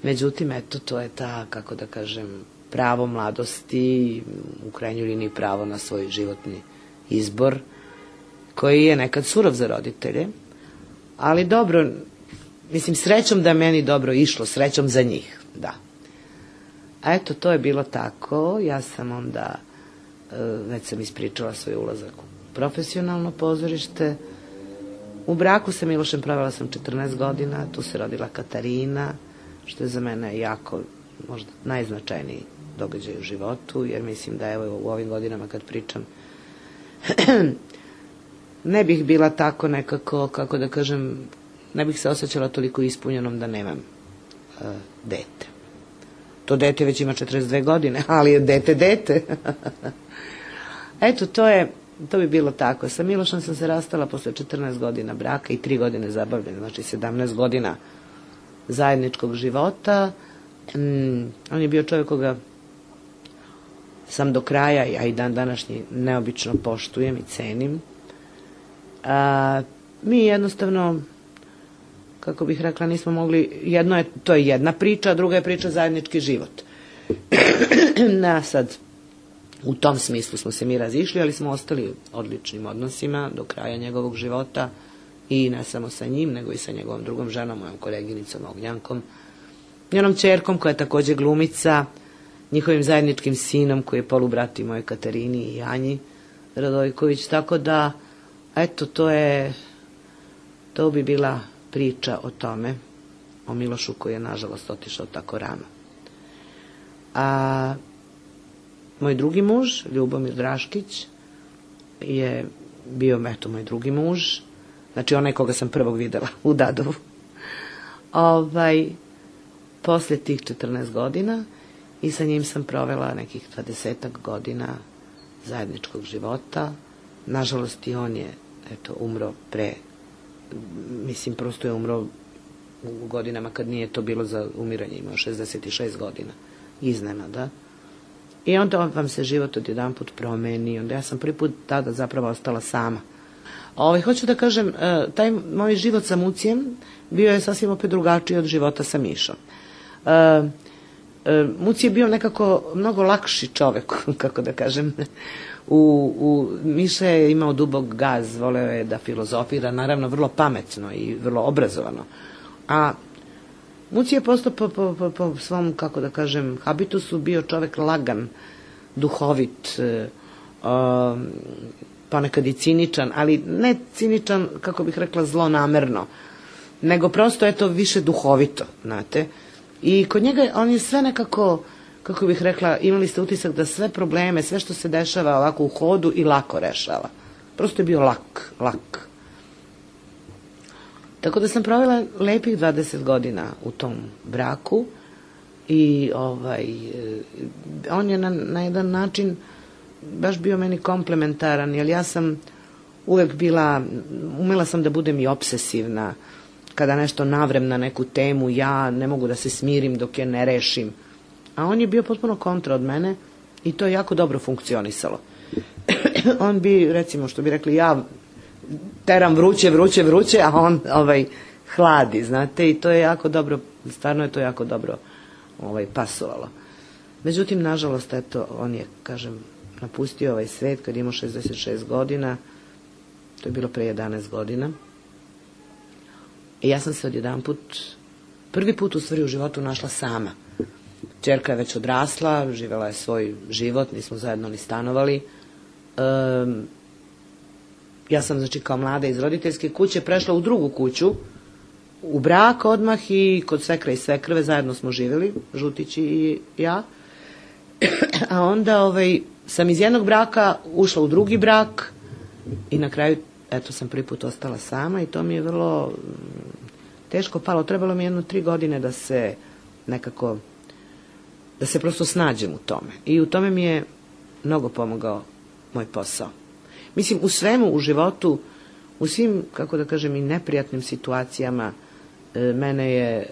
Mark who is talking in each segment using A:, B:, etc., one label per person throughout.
A: Međutim, eto, to je ta, kako da kažem, pravo mladosti, u krajnjoj liniji pravo na svoj životni izbor, koji je nekad surov za roditelje, ali dobro, mislim, srećom da je meni dobro išlo, srećom za njih, da. A eto, to je bilo tako, ja sam onda, već sam ispričala svoj ulazak u profesionalno pozorište. U braku sa Milošem provela sam 14 godina, tu se rodila Katarina, što je za mene jako, možda najznačajniji događaj u životu, jer mislim da evo u ovim godinama kad pričam, ne bih bila tako nekako, kako da kažem, ne bih se osjećala toliko ispunjenom da nemam dete. To dete već ima 42 godine, ali je dete. Eto, to bi bilo tako. Sa Milošem sam se rastala posle 14 godina braka i 3 godine zabavljanja, znači 17 godina zajedničkog života. On je bio čovjek koga sam do kraja, a i dan današnji, neobično poštujem i cenim. Mi jednostavno, kako bih rekla, nismo mogli, to je jedna priča, a druga je priča zajednički život. Sad, u tom smislu smo se mi razišli, ali smo ostali u odličnim odnosima do kraja njegovog života i ne samo sa njim, nego i sa njegovom drugom ženom, mojom koleginicom Ognjankom, njenom ćerkom koja je također glumica, njihovim zajedničkim sinom koji je polubrat i mojoj Katarini i Anji Radojković, tako da, eto, to bi bila priča o tome, o Milošu koji je nažalost otišao tako rano. A moj drugi muž, Ljubomir Draškić, je bio, eto, moj drugi muž, znači onaj koga sam prvog videla u Dadovu. Posle tih 14 godina i sa njim sam provela nekih 20 godina zajedničkog života. Nažalost i on je, eto, umro prosto je umro u godinama kad nije to bilo za umiranje, imao 66 godina, iznenada. I onda vam se život odjedanput promeni, onda ja sam prvi put tada zapravo ostala sama. Hoću da kažem, taj moj život sa Mucijem bio je sasvim opet drugačiji od života sa Mišom. Muci je bio nekako mnogo lakši čovek, kako da kažem. Miša je imao dubok gaz, voleo je da filozofira, naravno vrlo pametno i vrlo obrazovano. A Muci je postao po svom, kako da kažem, habitusu bio čovek lagan, duhovit, ponekad i ciničan, ali ne ciničan, kako bih rekla, zlonamerno, nego prosto, eto, više duhovito, znate. I kod njega on je sve nekako, kako bih rekla, imali ste utisak da sve probleme, sve što se dešava ovako u hodu i lako rešava. Prosto je bio lak. Tako da sam provela lepih 20 godina u tom braku i on je na jedan način baš bio meni komplementaran, jer ja sam uvek umela sam da budem i obsesivna. Kada nešto navrem na neku temu, ja ne mogu da se smirim dok je ne rešim. A on je bio potpuno kontra od mene i to je jako dobro funkcionisalo. On bi, recimo, što bi rekli, ja teram vruće, a on hladi, znate, i to je jako dobro, stvarno je to jako dobro pasovalo. Međutim, nažalost, eto, on je, kažem, napustio ovaj svet kad je imao 66 godina, to je bilo pre 11 godina. I ja sam se odjedanput, prvi put u stvari u životu našla sama. Ćerka je već odrasla, živela je svoj život, nismo zajedno ni stanovali. Ja sam, znači, kao mlada iz roditeljske kuće prešla u drugu kuću, u brak odmah i kod svekra i svekrve zajedno smo živjeli, Žutić i ja. A onda sam iz jednog braka ušla u drugi brak i na kraju, eto, sam prvi put ostala sama i to mi je vrlo teško palo. Trebalo mi 3 godine da se nekako, da se prosto snađem u tome. I u tome mi je mnogo pomogao moj posao. Mislim, u svemu u životu, u svim, kako da kažem, i neprijatnim situacijama, mene je,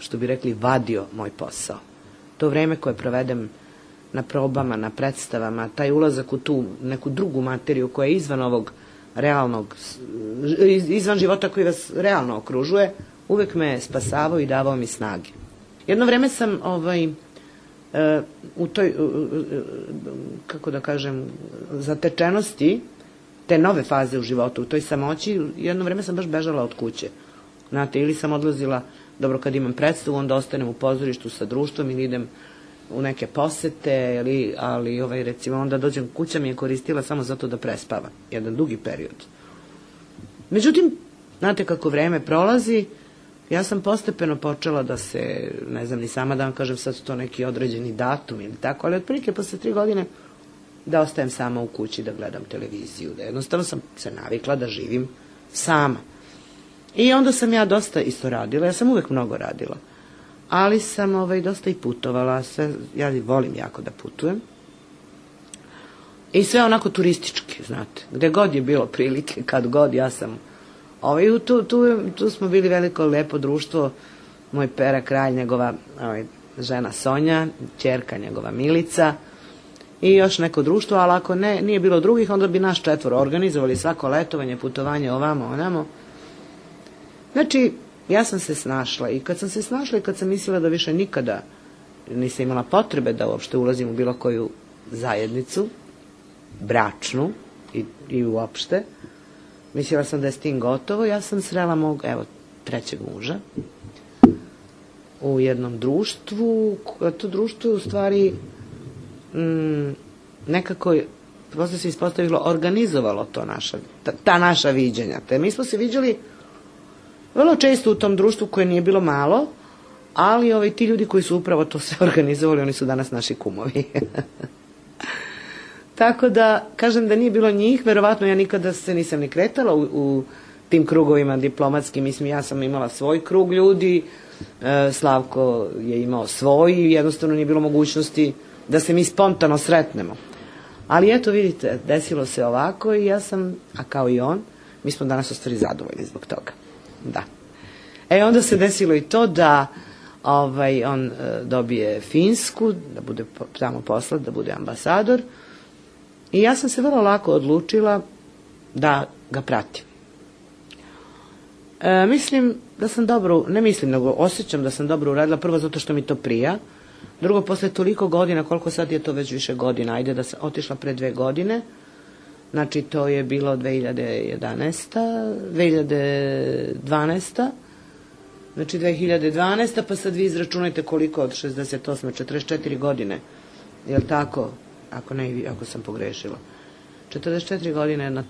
A: što bi rekli, vadio moj posao. To vreme koje provedem na probama, na predstavama, taj ulazak u tu neku drugu materiju koja je izvan ovog realnog, izvan života koji vas realno okružuje, uvek me spasavao i davao mi snage. Jedno vreme sam u toj, kako da kažem, zatečenosti te nove faze u životu, u toj samoći, jedno vreme sam baš bežala od kuće. Znate, ili sam odlazila, dobro, kad imam predstavu, onda ostanem u pozorištu sa društvom ili idem u neke posete, ali recimo onda dođem, kuća mi je koristila samo zato da prespavam, jedan dugi period. Međutim, znate kako vreme prolazi, ja sam postepeno počela da se, ne znam ni sama da vam kažem sad to neki određeni datum ili tako, ali otprilike posle 3 godine da ostajem sama u kući, da gledam televiziju, da jednostavno sam se navikla da živim sama. I onda sam ja dosta isto radila, ja sam uvek mnogo radila, ali sam dosta i putovala, ja volim jako da putujem. I sve onako turistički, znate, gde god je bilo prilike, kad god, ja sam, tu smo bili veliko lepo društvo, moj Pera Kralj, njegova žena Sonja, ćerka njegova Milica, i još neko društvo, ali ako nije bilo drugih, onda bi nas 4 organizovali svako letovanje, putovanje ovamo, onamo. Znači, ja sam se snašla i kad sam se snašla i kad sam mislila da više nikada nisam imala potrebe da uopšte ulazim u bilo koju zajednicu, bračnu i uopšte, mislila sam da je s tim gotovo, ja sam srela mog, 3. muža u jednom društvu, to društvo je u stvari nekako, posle se ispostavilo, organizovalo to ta naša viđenja. Te mi smo se viđali vrlo često u tom društvu koje nije bilo malo, ali ti ljudi koji su upravo to sve organizovali, oni su danas naši kumovi. Tako da, kažem da nije bilo njih, verovatno ja nikada se nisam ni kretala u tim krugovima diplomatskim, mislim, ja sam imala svoj krug ljudi, Slavko je imao svoj i jednostavno nije bilo mogućnosti da se mi spontano sretnemo. Ali eto, vidite, desilo se ovako i ja sam, a kao i on, mi smo danas u stvari zadovoljni zbog toga. Da. Onda se desilo i to da on dobije Finsku, da bude tamo poslat, da bude ambasador, i ja sam se vrlo lako odlučila da ga pratim. Mislim da sam dobro, ne mislim, nego osjećam da sam dobro uradila, prvo zato što mi to prija, drugo, posle toliko godina, koliko sad je to već više godina, ajde da sam otišla pre 2 godine, znači to je bilo 2012. Znači 2012. pa sad vi izračunajte koliko od 68. 44 godine, je li tako? Ako sam pogrešila. 44 godine na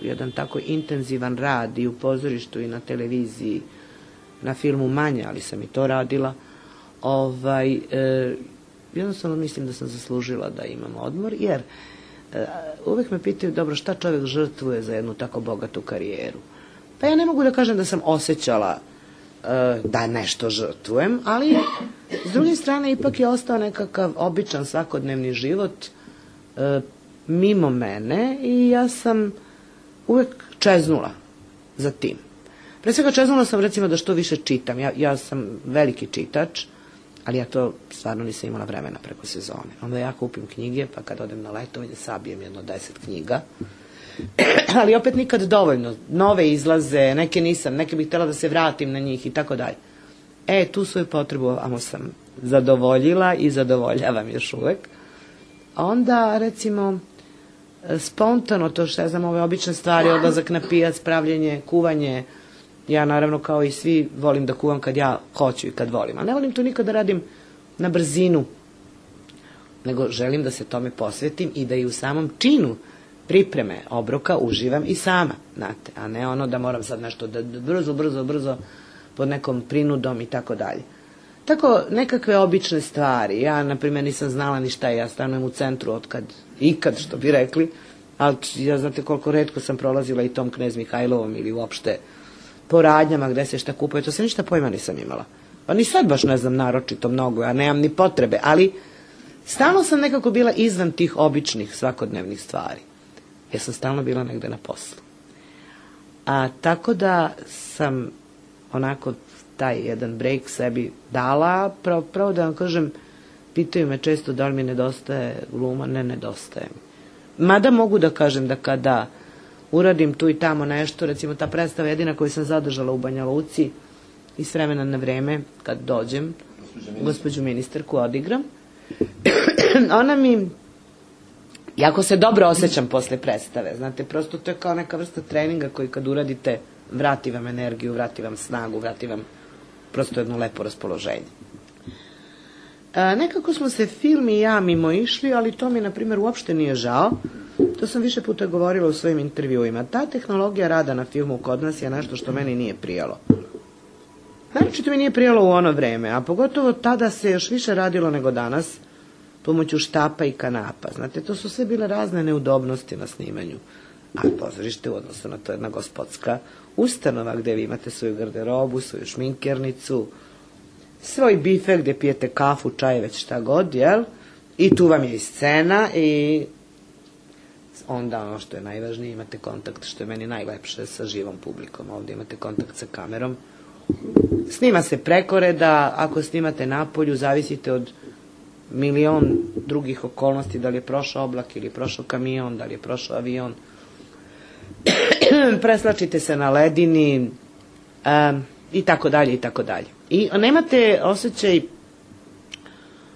A: jedan tako intenzivan rad i u pozorištu i na televiziji, na filmu manje, ali sam i to radila. Jednostavno mislim da sam zaslužila da imam odmor, jer uvek me pitaju, dobro, šta čovjek žrtvuje za jednu tako bogatu karijeru? Pa ja ne mogu da kažem da sam osjećala da nešto žrtvujem, ali s druge strane ipak je ostao nekakav običan svakodnevni život mimo mene i ja sam uvek čeznula za tim. Pre svega čeznula sam recimo da što više čitam. Ja sam veliki čitač, ali ja to stvarno nisam imala vremena preko sezone. Onda ja kupim knjige, pa kad odem na letovanje sabijem jedno 10 knjiga. Ali opet nikad dovoljno. Nove izlaze, neke nisam, neke bih htjela da se vratim na njih i tako dalje. Tu svoju potrebu sam zadovoljila i zadovoljavam još uvek. Onda, recimo, spontano to što ja znam, ove obične stvari, odlazak na pijac, pravljenje, kuvanje, ja naravno kao i svi volim da kuvam kad ja hoću i kad volim, a ne volim to nikad da radim na brzinu, nego želim da se tome posvetim i da i u samom činu pripreme obroka uživam i sama, znate, a ne ono da moram sad nešto da brzo pod nekom prinudom i tako dalje. Tako, nekakve obične stvari. Ja, na primjer, nisam znala ni šta je. Ja stanujem u centru ikad, što bi rekli, ali ja znate koliko retko sam prolazila i tom Knez Mihajlovom ili uopšte po radnjama gde se šta kupuje. To se ništa pojma nisam imala. Pa ni sad baš ne znam naročito mnogo, ja nemam ni potrebe, ali stalno sam nekako bila izvan tih običnih svakodnevnih stvari. Ja sam stalno bila negde na poslu. Tako da sam onako taj jedan break sebi dala, pravo da vam kažem, pitaju me često da li mi nedostaje gluma, ne nedostaje mi. Mada mogu da kažem da kada uradim tu i tamo nešto, recimo ta predstava jedina koju sam zadržala u Banja Luci i s vremena na vreme, kad dođem, gospođu ministarku odigram. Ona mi, jako se dobro osjećam posle predstave, znate, prosto to je kao neka vrsta treninga koji kad uradite vrati vam energiju, vrati vam snagu, vrati vam prosto jedno lepo raspoloženje. Nekako smo se film i ja mimo išli, ali to mi, na primjer, uopšte nije žao. To sam više puta govorila u svojim intervjuima. Ta tehnologija rada na filmu kod nas je nešto što meni nije prijalo. Naročito mi nije prijalo u ono vreme, a pogotovo tada se još više radilo nego danas, pomoću štapa i kanapa. Znate, to su sve bile razne neudobnosti na snimanju. A pozorište u odnosu na to jedna gospodska ustanova gde vi imate svoju garderobu, svoju šminkernicu, svoj bife gde pijete kafu, čaj, već šta god, jel? I tu vam je i scena i onda ono što je najvažnije, imate kontakt, što je meni najlepše, sa živom publikom. Ovdje imate kontakt sa kamerom. Snima se preko reda, ako snimate napolju, zavisite od milion drugih okolnosti, da li je prošao oblak ili je prošao kamion, da li je prošao avion. Preslačite se na ledini i tako dalje i tako dalje. I nemate osjećaj,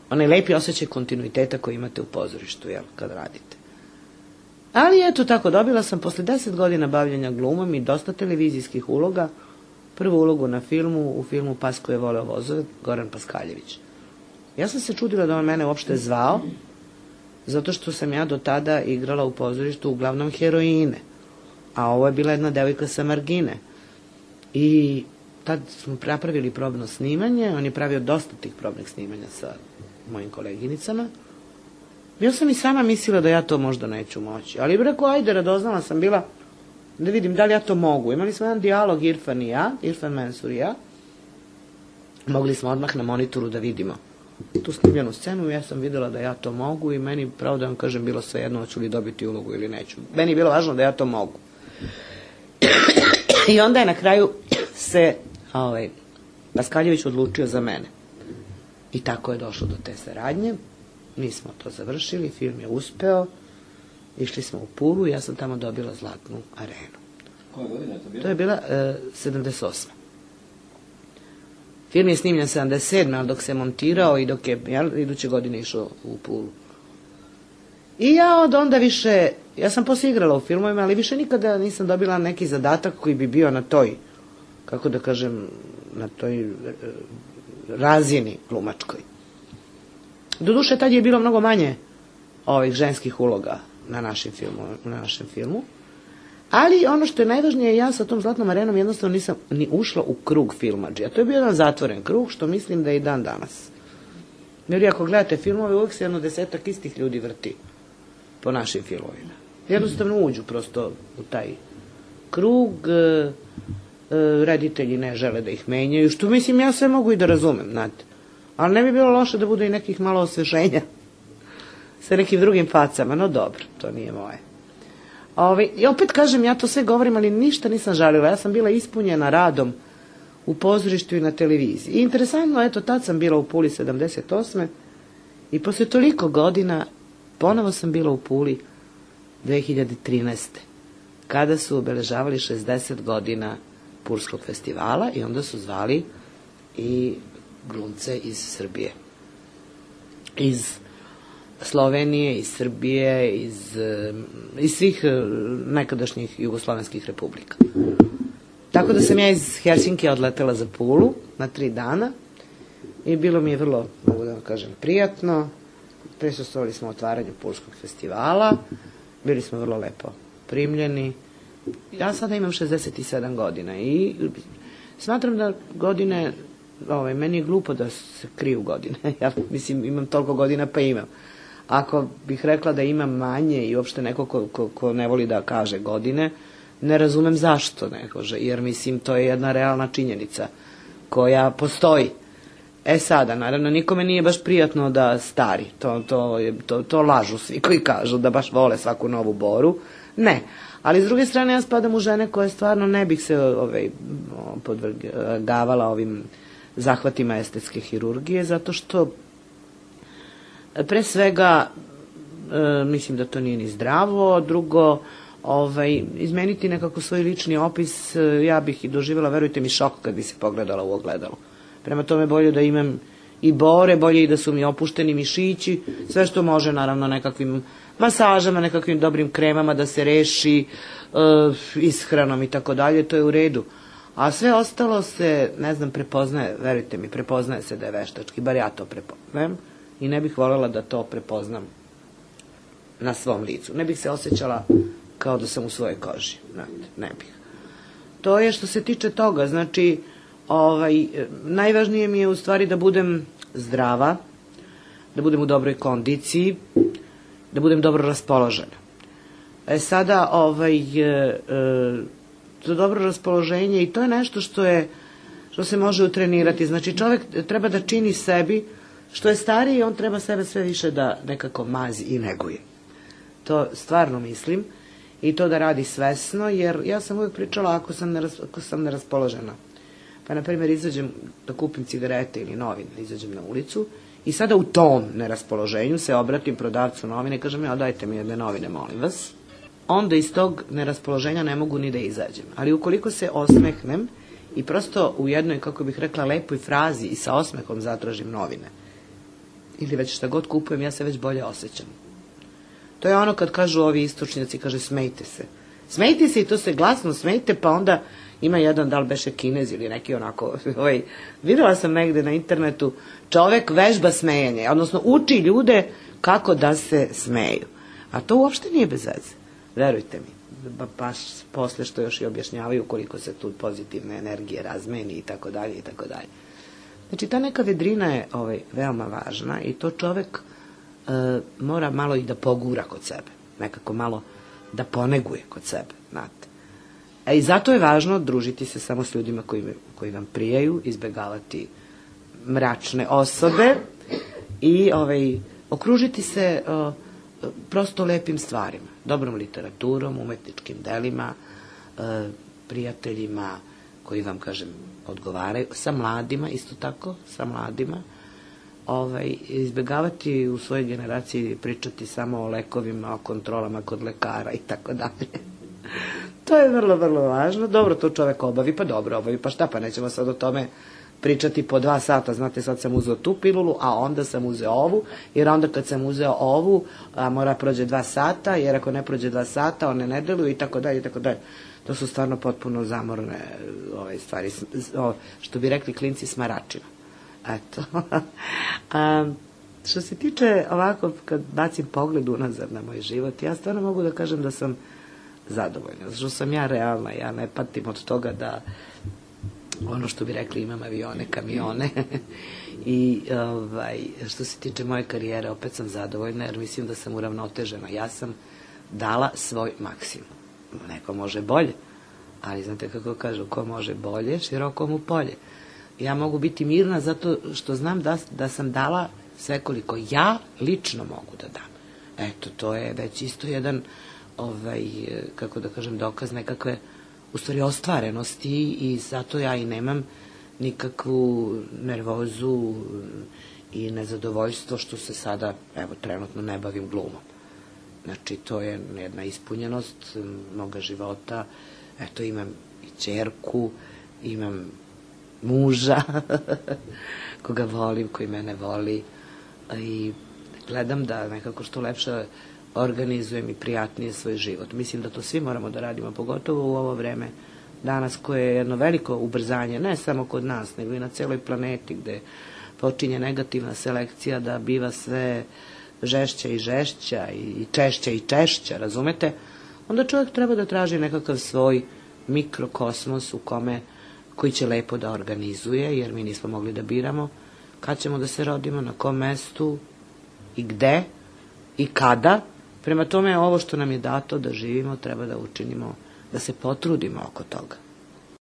A: onaj lepi osjećaj kontinuiteta koji imate u pozorištu, jel, kad radite. Ali eto tako, dobila sam posle 10 godina bavljenja glumom i dosta televizijskih uloga, prvu ulogu na filmu, u filmu Pas koji je voleo vozove, Goran Paskaljević. Ja sam se čudila da on mene uopšte zvao, zato što sam ja do tada igrala u pozorištu uglavnom heroine, a ovo je bila jedna devojka sa margine. I tad smo napravili probno snimanje, on je pravio dosta tih probnih snimanja sa mojim koleginicama. Ja sam i sama mislila da ja to možda neću moći, ali rekao, ajde, radoznala sam bila da vidim da li ja to mogu. Imali smo jedan dijalog Irfan i ja, Irfan Mensur i ja, mogli smo odmah na monitoru da vidimo tu snimljenu scenu i ja sam videla da ja to mogu i meni, pravo da vam kažem, bilo sve jedno hoću li dobiti ulogu ili neću. Meni je bilo važno da ja to mogu. I onda je na kraju se Paskaljević odlučio za mene. I tako je došlo do te saradnje. Mi smo to završili, film je uspeo, išli smo u Pulu i ja sam tamo dobila Zlatnu arenu.
B: Koja godina je to bila?
A: To je bila 78. Film je snimljen 77. ali dok se montirao i dok je iduće godine išao u Pulu. I ja od onda više, ja sam posle igrala u filmovima, ali više nikada nisam dobila neki zadatak koji bi bio na toj, kako da kažem, na toj razini glumačkoj. Doduše, tad je bilo mnogo manje ovih ženskih uloga na našem filmu. Ali ono što je najvažnije, ja sa tom Zlatnom arenom jednostavno nisam ni ušla u krug filmadžija. To je bio jedan zatvoren krug, što mislim da je i dan danas. Jer ako gledate filmove, uvijek se jedno 10-ak istih ljudi vrti po našim filmovima. Jednostavno uđu prosto u taj krug, reditelji ne žele da ih menjaju, što mislim ja sve mogu i da razumem, znate. Ali ne bi bilo loše da bude i nekih malo osveženja sa nekim drugim facama, no dobro, to nije moje. I opet kažem, ja to sve govorim, ali ništa nisam žalila. Ja sam bila ispunjena radom u pozorištu i na televiziji. I interesantno, eto, tad sam bila u Puli 78. I posle toliko godina ponovo sam bila u Puli 2013. kada su obeležavali 60 godina Pulskog festivala i onda su zvali i glumce iz Srbije. Iz Slovenije, iz Srbije, iz svih nekadašnjih jugoslovenskih republika. Tako da sam ja iz Helsinki odletela za Pulu na 3 dana i bilo mi je vrlo, mogu da vam kažem, prijatno. Prisustvovali smo otvaranju Pulskog festivala, bili smo vrlo lepo primljeni. Ja sada imam 67 godina i smatram da godine, meni je glupo da se kriju godine. Ja mislim, imam toliko godina pa imam. Ako bih rekla da imam manje i uopšte neko ko ne voli da kaže godine, ne razumem zašto ne kaže, jer mislim to je jedna realna činjenica koja postoji. Sada, naravno, nikome nije baš prijatno da stari, to lažu svi koji kažu da baš vole svaku novu boru, ne. Ali s druge strane ja spadam u žene koje stvarno ne bih se podvrgavala ovim zahvatima estetske hirurgije, zato što pre svega mislim da to nije ni zdravo. Drugo, izmeniti nekako svoj lični opis, ja bih i doživjela, verujte mi, šok kad bi se pogledala u ogledalu. Prema tome bolje da imam i bore, bolje i da su mi opušteni mišići, sve što može, naravno, nekakvim masažama, nekakvim dobrim kremama da se reši, ishranom i tako dalje, to je u redu. A sve ostalo se, ne znam, prepoznaje, verujte mi, prepoznaje se da je veštački, bar ja to prepoznajem i ne bih voljela da to prepoznam na svom licu. Ne bih se osjećala kao da sam u svojoj koži, ne bih. To je što se tiče toga, znači, najvažnije mi je u stvari da budem zdrava, da budem u dobroj kondiciji, da budem dobro raspoložena. Sada, to dobro raspoloženje i to je nešto što se može utrenirati. Znači, čovjek treba da čini sebi, što je stariji, on treba sebe sve više da nekako mazi i neguje. To stvarno mislim i to da radi svesno, jer ja sam uvijek pričala ako sam neraspoložena. Pa, na primjer, izađem da kupim cigarete ili novine, izađem na ulicu i sada u tom neraspoloženju se obratim prodavcu novine i kažem, ja, dajte mi jedne novine, molim vas. Onda iz tog neraspoloženja ne mogu ni da izađem. Ali ukoliko se osmehnem i prosto u jednoj, kako bih rekla, lepoj frazi i sa osmehom zatražim novine, ili već šta god kupujem, ja se već bolje osjećam. To je ono kad kažu ovi istočnjaci, kaže smejte se. Smejte se i to se glasno smejte, pa onda ima jedan, da li beše Kinez ili neki onako, videla sam negde na internetu, čovek vežba smejanje, odnosno uči ljude kako da se smeju. A to uopšte nije bez veze, verujte mi. Baš posle što još i objašnjavaju koliko se tu pozitivne energije razmeni i tako dalje i tako dalje. Znači, ta neka vedrina je veoma važna i to čovek mora malo i da pogura kod sebe, nekako malo da poneguje kod sebe, znate. I zato je važno družiti se samo s ljudima koji vam prijaju, izbegavati mračne osobe i okružiti se prosto lepim stvarima, dobrom literaturom, umetničkim delima, prijateljima koji vam, kažem, odgovaraju, sa mladima, isto tako, sa mladima, izbegavati u svojoj generaciji pričati samo o lekovima, o kontrolama kod lekara i tako dalje. To je vrlo, vrlo važno. Dobro, to čovek obavi, pa šta, pa nećemo sad o tome pričati po 2 sata, znate, sad sam uzeo tu pilulu, a onda sam uzeo ovu, jer onda kad sam uzeo ovu, mora prođe 2 sata, jer ako ne prođe 2 sata, one ne deluju i tako dalje, i tako dalje. To su stvarno potpuno zamorne stvari, što bi rekli klinci, smaračina. Eto. Što se tiče ovako, kad bacim pogled unazad na moj život, ja stvarno mogu da kažem da sam zadovoljna, što sam ja realna, ja ne patim od toga da ono što bi rekli imam avione, kamione i što se tiče moje karijere opet sam zadovoljna jer mislim da sam uravnotežena, ja sam dala svoj maksimum. Neko može bolje, ali znate kako kažu, ko može bolje, široko mu polje. Ja mogu biti mirna zato što znam da sam dala sve koliko ja lično mogu da dam. Eto, to je već isto jedan kako da kažem, dokaz nekakve u stvari ostvarenosti i zato ja i nemam nikakvu nervozu i nezadovoljstvo što se sada, evo, trenutno ne bavim glumom. Znači, to je jedna ispunjenost moga života. Eto, imam i ćerku, imam muža koga volim, koji mene voli i gledam da nekako što lepše organizujem i prijatnije svoj život. Mislim da to svi moramo da radimo, pogotovo u ovo vreme danas koje je jedno veliko ubrzanje, ne samo kod nas, nego i na celoj planeti gde počinje negativna selekcija da biva sve žešća i žešća i češća, razumete? Onda čovjek treba da traži nekakav svoj mikrokosmos koji će lepo da organizuje, jer mi nismo mogli da biramo kad ćemo da se rodimo, na kom mestu i gde i kada. Prema tome, ovo što nam je dato da živimo, treba da učinimo, da se potrudimo oko toga.